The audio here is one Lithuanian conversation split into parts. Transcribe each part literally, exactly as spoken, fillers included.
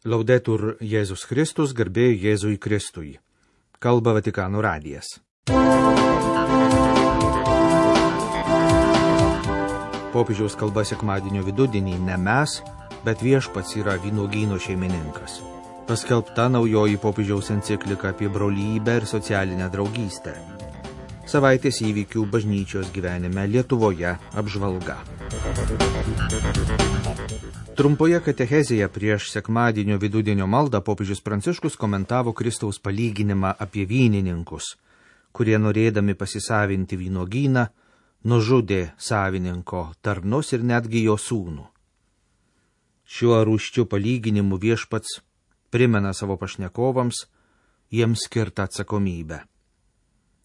Laudetur Jėzus Kristus, garbė Jėzui Kristui. Kalba Vatikano radijas. Popiežiaus kalba sekmadienio vidudienį ne mes, bet viešpats yra vynuogyno šeimininkas. Paskelbta naujoji popiežiaus enciklika apie brolybę ir socialinę draugystę. Savaitės įvykių bažnyčios gyvenime Lietuvoje apžvalga. Trumpoje katechezėje prieš sekmadienio vidudienio maldą popiežius Pranciškus komentavo Kristaus palyginimą apie vynininkus, kurie norėdami pasisavinti vynuogyną, nužudė savininko tarnus ir netgi jo sūnų. Šiuo rūsčiu palyginimu viešpats primena savo pašnekovams jiems skirtą atsakomybę.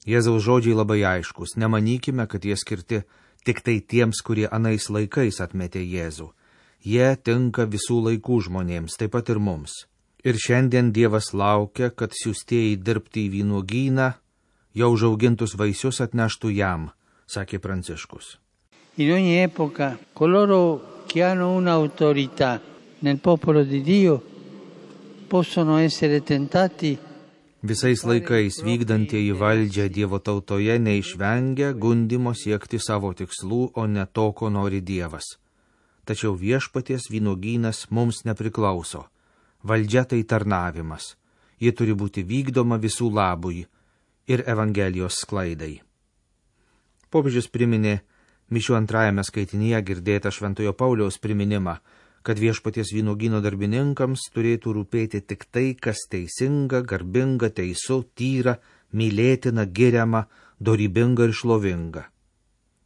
Jėzaus žodžiai labai aiškus, nemanykime, kad jie skirti tik tai tiems, kurie anais laikais atmetė Jėzų. Jie tinka visų laikų žmonėms, taip pat ir mums. Ir šiandien Dievas laukia, kad siųstieji dirbti į vynuogyną, jau užaugintus vaisius atneštų jam, sakė Pranciškus. In ogni epoca, coloro che hanno un'autorità nel popolo di Dio possono essere tentati. Visais laikais vykdantieji valdžią Dievo tautoje neišvengia gundimo siekti savo tikslų, o ne to, ko nori Dievas. Tačiau viešpaties vynuogynas mums nepriklauso. Valdžia tai tarnavimas. Ji turi būti vykdoma visų labui ir Evangelijos sklaidai. Popiežius priminė mišių antrajame skaitinyje girdėtą Šventojo Pauliaus priminimą, kad viešpaties vynuogyno darbininkams turėtų rūpėti tik tai, kas teisinga, garbinga, teisu, tyra, mylėtina, giriama, dorybinga ir šlovinga.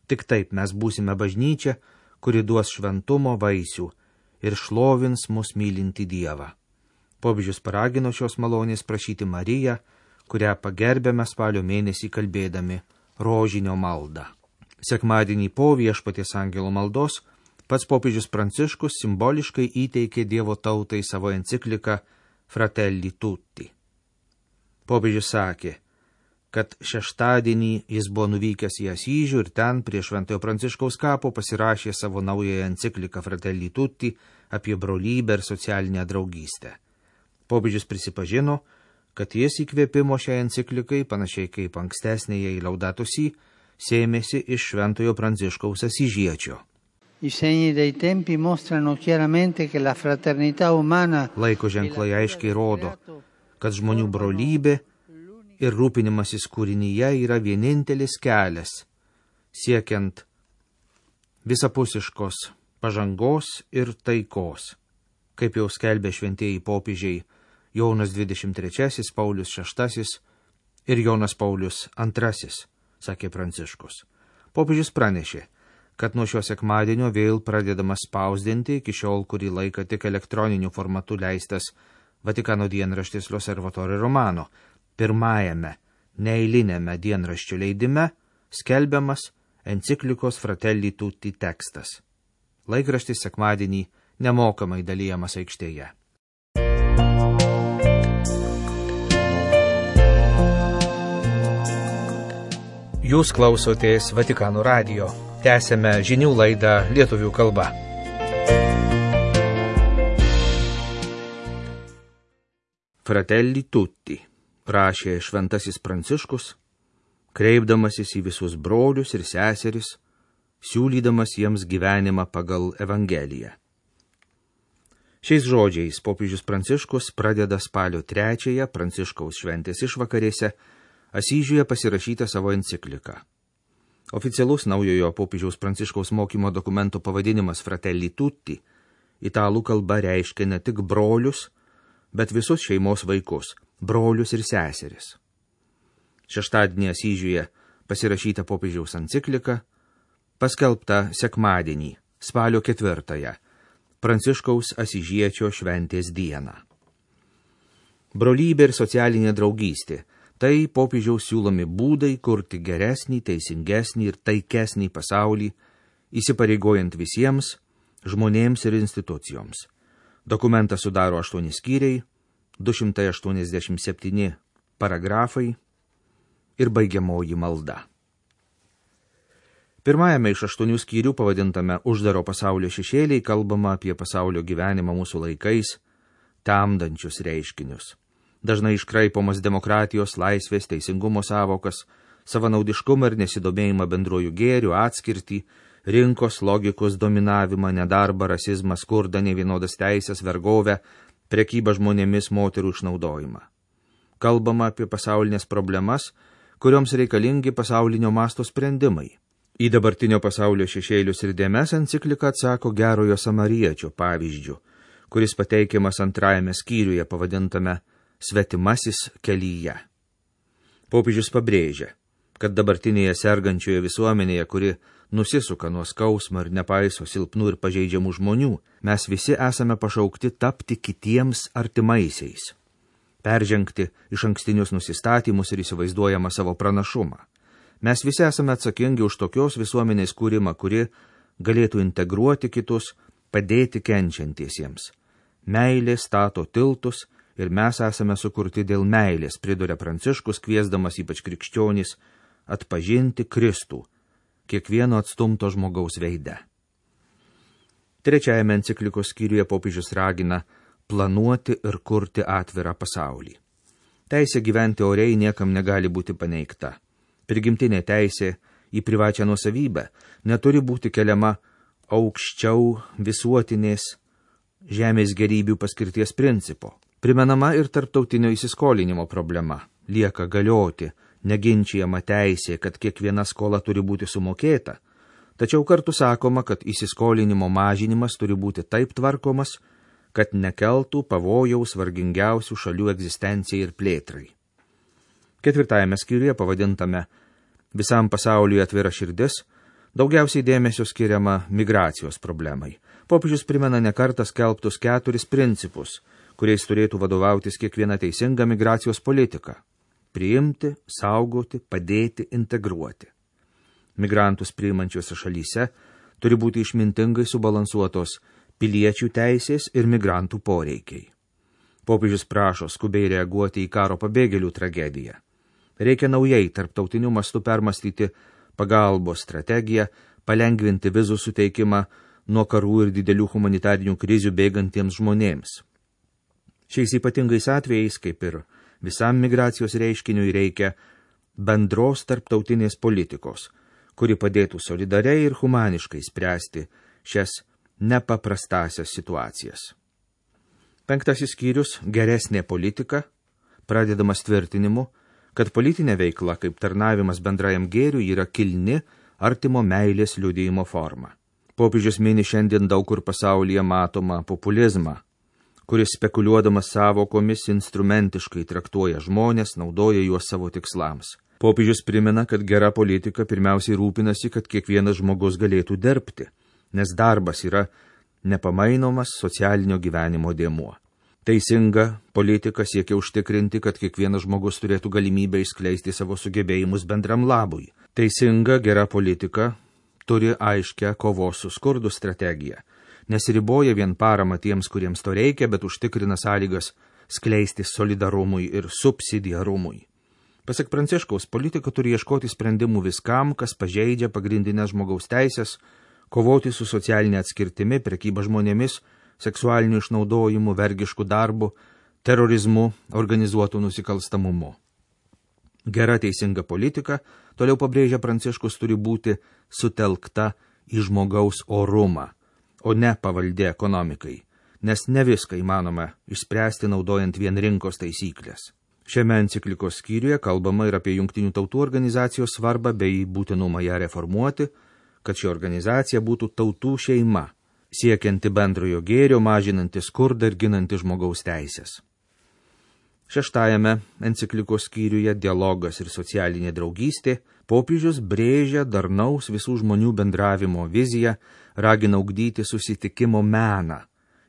Tik taip mes būsime bažnyčia, kuri duos šventumo vaisių ir šlovins mus mylinti Dievą. Popiežius paragino šios malonės prašyti Mariją, kurią pagerbėme spalio mėnesį kalbėdami rožinio maldą. Sekmadienį po viešpaties angelo maldos pats popiežius Pranciškus simboliškai įteikė Dievo tautai savo encikliką Fratelli Tutti. Popiežius sakė, kad šeštadienį jis buvo nuvykęs į Asyžių ir ten prie Šventojo Pranciškaus kapo pasirašė savo naująją encikliką Fratelli Tutti apie brolybę ir socialinę draugystę. Popiežius prisipažino, kad jis įkvėpimo šiai enciklikai, panašiai kaip ankstesnėje į Laudato Si, sėmėsi iš Šventojo Pranciškaus asyžiečio. I segni dei tempi mostrano chiaramente che la fraternità umana. Laiko ženklai aiškiai rodo, kad žmonių brolybė ir rūpinimasis kūrinyje yra vienintelis kelias, siekiant visapusiškos pažangos ir taikos. Kaip jau skelbė šventieji popiežiai Jonas dvidešimt trečiasis, Paulius šeštasis ir Jonas Paulius antrasis, sakė Pranciškus. Popiežius pranešė, kad nuo šio sekmadienio vėl pradedamas spausdinti iki šiol kurį laiką tik elektroniniu formatu leistas Vatikano dienraštis L'Osservatore Romano, pirmajame neeilinėme dienraščio leidime skelbiamas enciklikos Fratelli Tutti tekstas. Laikraštis sekmadienį nemokamai dalijamas aikštėje. Jūs klausotės Vatikano radijo. Tęsėme žinių laidą lietuvių kalba. Fratelli Tutti, prašė šventasis Pranciškus, kreipdamasis į visus brolius ir seseris, siūlydamas jiems gyvenimą pagal Evangeliją. Šiais žodžiais popiežius Pranciškus pradeda spalio trečiąją Pranciškaus šventės išvakarėse Asyžiuje pasirašytą savo encikliką. Oficialus naujojo popiežiaus Pranciškaus mokymo dokumento pavadinimas Fratelli Tutti italų kalba reiškia ne tik brolius, bet visus šeimos vaikus, brolius ir seseris. Šeštadienį Asyžiuje pasirašyta popiežiaus enciklika, paskelbta sekmadienį, spalio ketvirtąją, Pranciškaus asyžiečio šventės dieną. Brolybė ir socialinė draugystė – tai popiežiaus siūlomi būdai kurti geresnį, teisingesnį ir taikesnį pasaulį, įsipareigojant visiems, žmonėms ir institucijoms. Dokumentą sudaro aštuoni skyriai, du šimtai aštuoniasdešimt septyni paragrafai ir baigiamoji malda. Pirmajame iš aštuonių skyrių pavadintame Uždaro pasaulio šešėliai kalbama apie pasaulio gyvenimą mūsų laikais, temdančius reiškinius. Dažnai iškraipomas demokratijos, laisvės, teisingumo savokas, savanaudiškumą ir nesidomėjimą bendruoju gėriu, atskirtį, rinkos logikos dominavimą, nedarbą, rasizmą, skurdą, nevienodas teisės, vergovę, prekybą žmonėmis, moterų išnaudojimą. Kalbama apie pasaulinės problemas, kurioms reikalingi pasaulinio masto sprendimai. Į dabartinio pasaulio šešėlius ir dėmes enciklika atsako gerojo samariečio pavyzdžių, kuris pateikiamas antrajame skyriuje pavadintame Svetimasis kelyje. Popiežius pabrėžia, kad dabartinėje sergančioje visuomenėje, kuri nusisuka nuo skausmo ir nepaiso silpnų ir pažeidžiamų žmonių, mes visi esame pašaukti tapti kitiems artimaisiais, peržengti iš ankstinius nusistatymus ir įsivaizduojamą savo pranašumą. Mes visi esame atsakingi už tokios visuomenės kūrimą, kuri galėtų integruoti kitus, padėti kenčiantiesiems. Meilė stato tiltus ir mes esame sukurti dėl meilės, priduria Pranciškus, kviesdamas ypač krikščionys atpažinti Kristų, kiekvieno atstumto žmogaus veide. Trečiajame enciklikos skyriuje popiežius ragina planuoti ir kurti atvirą pasaulį. Teisė gyventi oriai niekam negali būti paneigta. Prigimtinė teisė į privačią nuosavybę neturi būti keliama aukščiau visuotinės žemės gerybių paskirties principo. Primenama ir tarptautinio įsiskolinimo problema. Lieka galioti neginčijama teisė, kad kiekviena skola turi būti sumokėta, tačiau kartu sakoma, kad įsiskolinimo mažinimas turi būti taip tvarkomas, kad nekeltų pavojaus vargingiausių šalių egzistencijai ir plėtrai. Ketvirtajame skyriuje pavadintame Visam pasauliui atvira širdis, daugiausiai dėmesio skiriama migracijos problemai. Popiežius primena nekartą skelbtus keturis principus, kuriais turėtų vadovautis kiekviena teisinga migracijos politika – priimti, saugoti, padėti, integruoti. Migrantus priimančiose šalyse turi būti išmintingai subalansuotos piliečių teisės ir migrantų poreikiai. Popiežius prašo skubiai reaguoti į karo pabėgėlių tragediją. Reikia naujai tarptautiniu mastu permastyti pagalbos strategiją, palengvinti vizų suteikimą nuo karų ir didelių humanitarinių krizių bėgantiems žmonėms. Šiais ypatingais atvejais, kaip ir visam migracijos reiškiniui, reikia bendros tarptautinės politikos, kuri padėtų solidariai ir humaniškai spręsti šias nepaprastasias situacijas. Penktasis skyrius – geresnė politika, pradedamas tvirtinimu, kad politinė veikla kaip tarnavimas bendrajam gėriui yra kilni artimo meilės liudijimo forma. Popiežius mini šiandien daug kur pasaulyje matomą populizmą, kuris spekuliuodamas savokomis instrumentiškai traktuoja žmonės, naudoja juos savo tikslams. Popiežius primena, kad gera politika pirmiausiai rūpinasi, kad kiekvienas žmogus galėtų dirbti, nes darbas yra nepamainomas socialinio gyvenimo dėmuo. Teisinga politika siekia užtikrinti, kad kiekvienas žmogus turėtų galimybę išskleisti savo sugebėjimus bendram labui. Teisinga, gera politika turi aiškę kovos su skurdu strategiją. Nesiriboja vien parama tiems, kuriems to reikia, bet užtikrina sąlygas skleisti solidarumui ir subsidiarumui. Pasak Pranciškaus, politika turi ieškoti sprendimų viskam, kas pažeidžia pagrindinės žmogaus teisės, kovoti su socialinė atskirtimi, prekyba žmonėmis, seksualiniu išnaudojimu, vergišku darbu, terorizmu, organizuotu nusikalstamumu. Gera teisinga politika, toliau pabrėžia Pranciškus, turi būti sutelkta į žmogaus orumą, o ne pavaldė ekonomikai, nes ne viską įmanoma išspręsti naudojant vien rinkos taisyklės. Šiame enciklikos skyriuje kalbama ir apie Jungtinių tautų organizacijos svarbą bei būtinumą ją reformuoti, kad ši organizacija būtų tautų šeima, siekianti bendrojo gėrio, mažinanti skurdą ir ginanti žmogaus teisės. Šeštajame enciklikos skyriuje dialogas ir socialinė draugystė popiežius brėžia darnaus visų žmonių bendravimo viziją, ragina ugdyti susitikimo meną,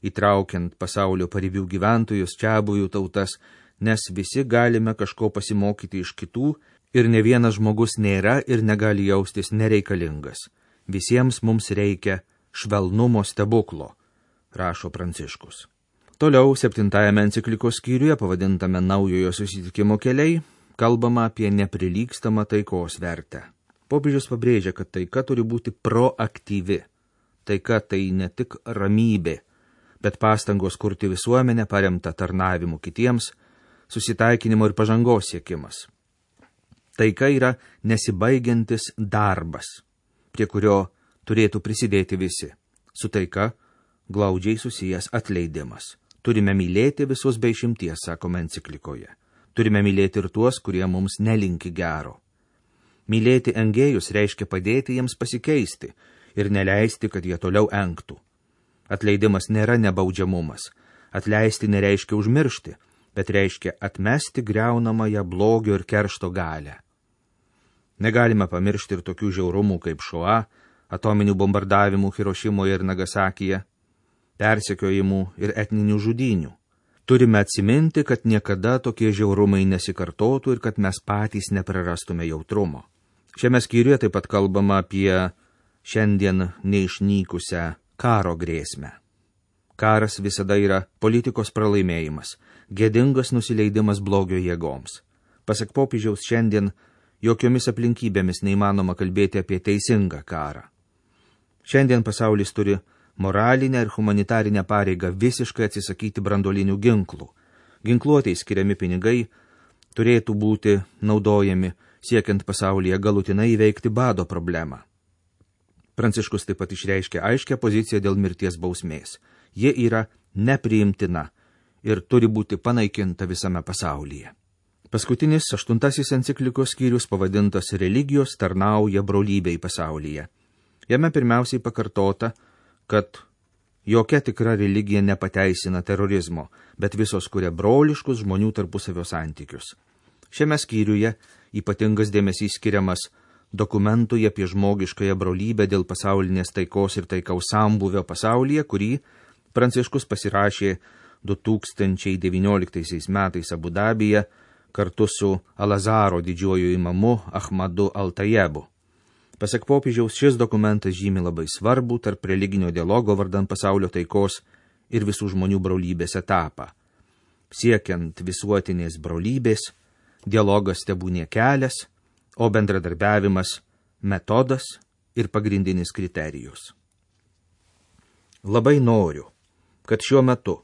įtraukiant pasaulio paribių gyventojus, čiabuvių tautas, nes visi galime kažko pasimokyti iš kitų ir ne vienas žmogus nėra ir negali jaustis nereikalingas. Visiems mums reikia švelnumo stebuklo, rašo Pranciškus. Toliau septintajame enciklikos skyriuje, pavadintame naujojo susitikimo keliai, kalbama apie neprilygstamą taikos vertę. Popiežius pabrėžia, kad taika turi būti proaktyvi. Taika tai ne tik ramybė, bet pastangos kurti visuomenę paremtą tarnavimu kitiems, susitaikinimo ir pažangos siekimas. Taika yra nesibaigiantis darbas, prie kurio turėtų prisidėti visi. Su taika glaudžiai susijęs atleidimas. Turime mylėti visus be išimties, sakome enciklikoje. Turime mylėti ir tuos, kurie mums nelinki gero. Mylėti engėjus reiškia padėti jiems pasikeisti ir neleisti, kad jie toliau engtų. Atleidimas nėra nebaudžiamumas. Atleisti nereiškia užmiršti, bet reiškia atmesti griaunamąją blogio ir keršto galę. Negalime pamiršti ir tokių žiaurumų kaip Šoa, atominių bombardavimų Hirošimoje ir Nagasakyje, persekiojimų ir etninių žudynių. Turime atsiminti, kad niekada tokie žiaurumai nesikartotų ir kad mes patys neprarastume jautrumo. Šiame skyriuje taip pat kalbama apie šiandien neišnykusią karo grėsmę. Karas visada yra politikos pralaimėjimas, gėdingas nusileidimas blogio jėgoms. Pasak popiežiaus, šiandien jokiomis aplinkybėmis neįmanoma kalbėti apie teisingą karą. Šiandien pasaulis turi moralinę ir humanitarinę pareigą visiškai atsisakyti branduolinių ginklų. Ginkluotei skiriami pinigai turėtų būti naudojami siekiant pasaulyje galutinai įveikti bado problemą. Pranciškus taip pat išreiškė aiškią poziciją dėl mirties bausmės. Ji yra nepriimtina ir turi būti panaikinta visame pasaulyje. Paskutinis aštuntasis enciklikos skyrius pavadintas Religijos tarnauja brolybei pasaulyje. Jame pirmiausiai pakartota, kad jokia tikra religija nepateisina terorizmo, bet visos kuria broliškus žmonių tarpusavio santykius. Šiame skyriuje ypatingas dėmesys skiriamas dokumentui apie žmogiškąją brolybę dėl pasaulinės taikos ir taikaus sambūvio pasaulyje, kurį Pranciškus pasirašė du tūkstančiai devynioliktaisiais metais Abu Dabyje kartu su Alazaro didžiuoju imamu Ahmadu Al-Tajebu. Pasak popiežiaus, šis dokumentas žymi labai svarbų tarp religinio dialogo vardan pasaulio taikos ir visų žmonių brolybės etapą. Siekiant visuotinės brolybės, dialogas tebūnie kelias, o bendradarbiavimas metodas ir pagrindinis kriterijus. Labai noriu, kad šiuo metu,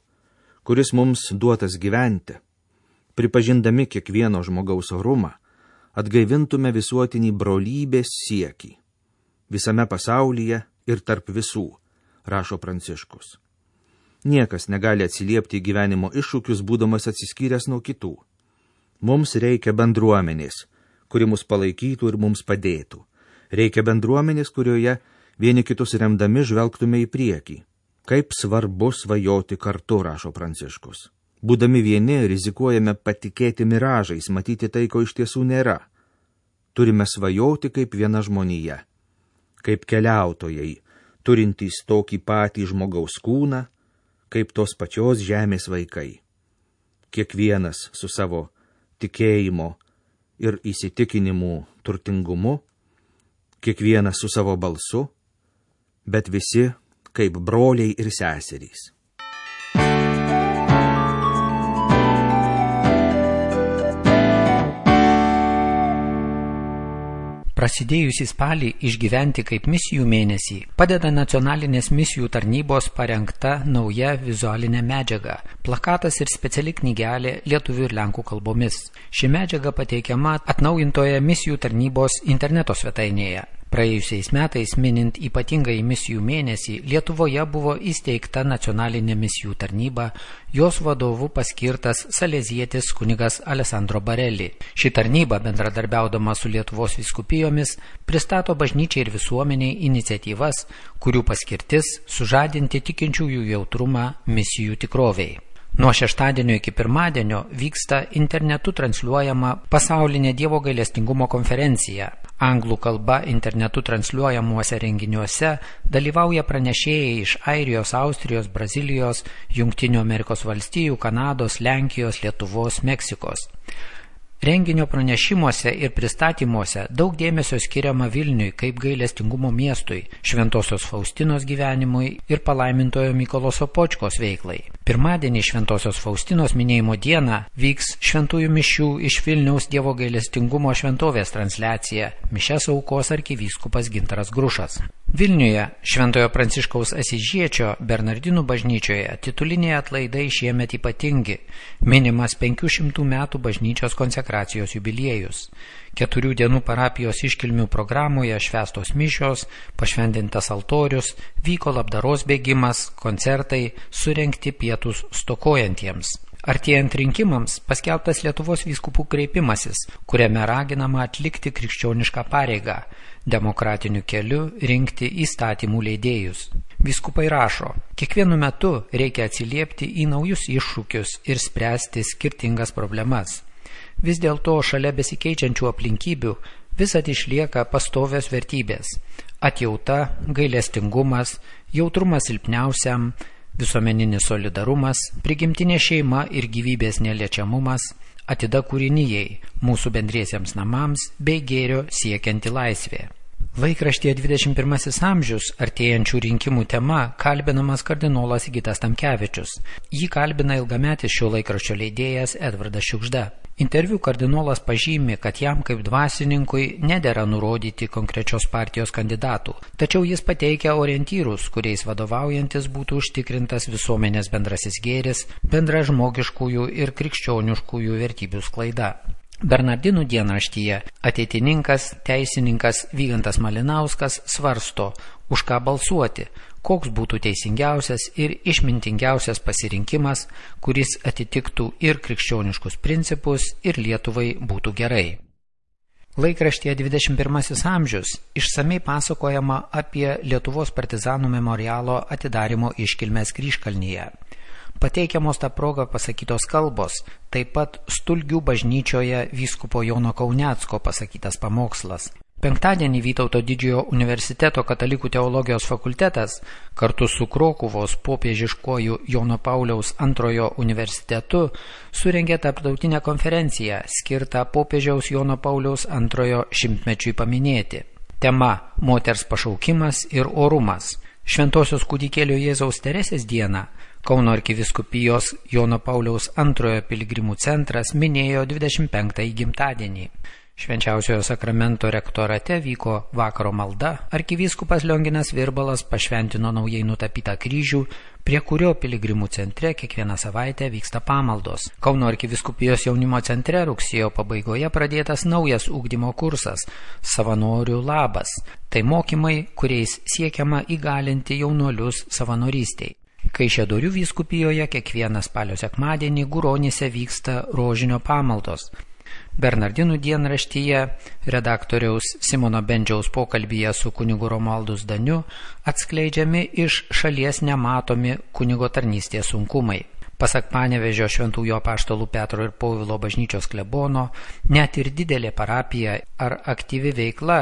kuris mums duotas gyventi, pripažindami kiekvieno žmogaus orumą, atgaivintume visuotinį brolybės siekį visame pasaulyje ir tarp visų, rašo Pranciškus. Niekas negali atsiliepti į gyvenimo iššūkius, būdamas atsiskyręs nuo kitų. Mums reikia bendruomenės, kuri mus palaikytų ir mums padėtų. Reikia bendruomenės, kurioje vieni kitus remdami žvelgtume į priekį. Kaip svarbu svajoti kartu, rašo Pranciškus. Būdami vieni, rizikuojame patikėti miražais, matyti tai, ko iš tiesų nėra. Turime svajoti kaip viena žmonija, kaip keliautojai, turintys tokį patį žmogaus kūną, kaip tos pačios žemės vaikai. Kiekvienas su savo tikėjimo ir įsitikinimų turtingumu, kiekvienas su savo balsu, bet visi kaip broliai ir seserys. Prasidėjusį spalį išgyventi kaip misijų mėnesį padeda nacionalinės misijų tarnybos parengta nauja vizualinė medžiaga, plakatas ir speciali knygelė lietuvių ir lenkų kalbomis. Ši medžiaga pateikiama atnaujintoje misijų tarnybos interneto svetainėje. Praėjusiais metais, minint ypatingąjį misijų mėnesį, Lietuvoje buvo įsteigta nacionalinė misijų tarnyba, jos vadovu paskirtas salezietis kunigas Alessandro Barelli. Ši tarnyba, bendradarbiaudama su Lietuvos vyskupijomis, pristato bažnyčiai ir visuomeniai iniciatyvas, kurių paskirtis sužadinti tikinčiųjų jautrumą misijų tikrovei. Nuo šeštadienio iki pirmadienio vyksta internetu transliuojama pasaulinė Dievo gailestingumo konferencija. Anglų kalba internetu transliuojamuose renginiuose dalyvauja pranešėjai iš Airijos, Austrijos, Brazilijos, Jungtinių Amerikos valstijų, Kanados, Lenkijos, Lietuvos, Meksikos. Renginio pranešimuose ir pristatymuose daug dėmesio skiriama Vilniui kaip gailestingumo miestui, Šventosios Faustinos gyvenimui ir palaimintojo Mykolo Sopočkos veiklai. Pirmadienį Šventosios Faustinos minėjimo dieną vyks šventųjų mišių iš Vilniaus Dievo gailestingumo šventovės transliacija. Mišias aukos arkivyskupas Gintaras Grušas. Vilniuje Šventojo Pranciškaus Asyžiečio Bernardinų bažnyčioje tituliniai atlaidai šiemet ypatingi, minimas penkių šimtų metų bažnyčios konsekracijos jubiliejus. Keturių dienų parapijos iškilmių programoje švęstos mišios, pašventintas altorius, vyko labdaros bėgimas, koncertai, surengti pietus stokojantiems. Artėjant rinkimams paskelbtas Lietuvos vyskupų kreipimasis, kuriame raginama atlikti krikščionišką pareigą, demokratiniu keliu rinkti įstatymų leidėjus. Vyskupai rašo, kiekvienu metu reikia atsiliepti į naujus iššūkius ir spręsti skirtingas problemas. Vis dėlto šalia besikeičiančių aplinkybių visad išlieka pastovios vertybės – atjauta, gailestingumas, jautrumas silpniausiam, visuomeninis solidarumas, prigimtinė šeima ir gyvybės neliečiamumas, atida kūrinijai, mūsų bendriesiems namams bei gėrio siekianti laisvė. Laikraštyje dvidešimt pirmasis amžius artėjančių rinkimų tema kalbinamas kardinolas Sigitas Tamkevičius. Jį kalbina ilgametis šio laikraščio leidėjas Edvardas Šiugžda. Interviu kardinolas pažymi, kad jam kaip dvasininkui nedera nurodyti konkrečios partijos kandidatų, tačiau jis pateikia orientyrus, kuriais vadovaujantis būtų užtikrintas visuomenės bendrasis gėris, bendra žmogiškųjų ir krikščioniškųjų vertybių sklaida. Bernardinų dienraštyje ateitininkas, teisininkas Vygantas Malinauskas svarsto, už ką balsuoti, koks būtų teisingiausias ir išmintingiausias pasirinkimas, kuris atitiktų ir krikščioniškus principus, ir Lietuvai būtų gerai. Laikraštyje dvidešimt pirmasis amžius išsamei pasakojama apie Lietuvos partizanų memorialo atidarymo iškilmes Kryžkalnyje. Pateikiamos tą progą pasakytos kalbos, taip pat Stulgių bažnyčioje vyskupo Jono Kaunecko pasakytas pamokslas. Penktadienį Vytauto didžiojo universiteto katalikų teologijos fakultetas kartu su Krokuvos popiežiškuoju Jono Pauliaus antrojo universitetu surengė tarptautinę konferenciją skirtą popiežiaus Jono Pauliaus antrojo šimtmečiui paminėti. Tema – moters pašaukimas ir orumas. Šventosios kūdikėlio Jėzaus Teresės dieną Kauno arkivyskupijos Jono Pauliaus antrojo piligrimų centras minėjo dvidešimt penktąjį gimtadienį. Švenčiausiojo sakramento rektorate vyko vakaro malda, arkivyskupas Lionginas Virbalas pašventino naujai nutapytą kryžių, prie kurio piligrimų centre kiekvieną savaitę vyksta pamaldos. Kauno arkivyskupijos jaunimo centre rugsėjo pabaigoje pradėtas naujas ugdymo kursas – Savanorių labas. Tai mokymai, kuriais siekiama įgalinti jaunuolius savanorystei. Kaišiadorių vyskupijoje kiekvieną spalio sekmadienį Guronyse vyksta rožinio pamaldos. Bernardinų dienraštyje redaktoriaus Simono Bendžiaus pokalbyje su kunigu Romualdu Zdaniu atskleidžiami iš šalies nematomi kunigo tarnystės sunkumai. Pasak Panevėžio šventųjų apaštalų Petro ir Povilo bažnyčios klebono, net ir didelė parapija ar aktyvi veikla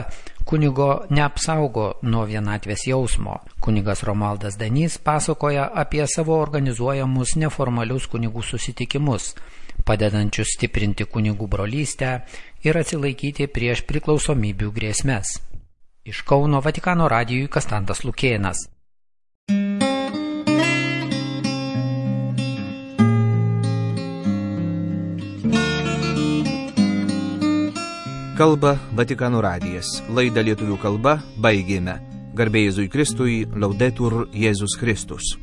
kunigo neapsaugo nuo vienatvės jausmo. Kunigas Romualdas Zdanys pasakoja apie savo organizuojamus neformalius kunigų susitikimus, padedančius stiprinti kunigų brolystę ir atsilaikyti prieš priklausomybių grėsmes. Iš Kauno Vatikano radijui Kastantas Lukėnas. Kalba Vatikano radijas. Laidą lietuvių kalba baigėme. Garbė Jėzui Kristui, Laudetur Jėzus Kristus.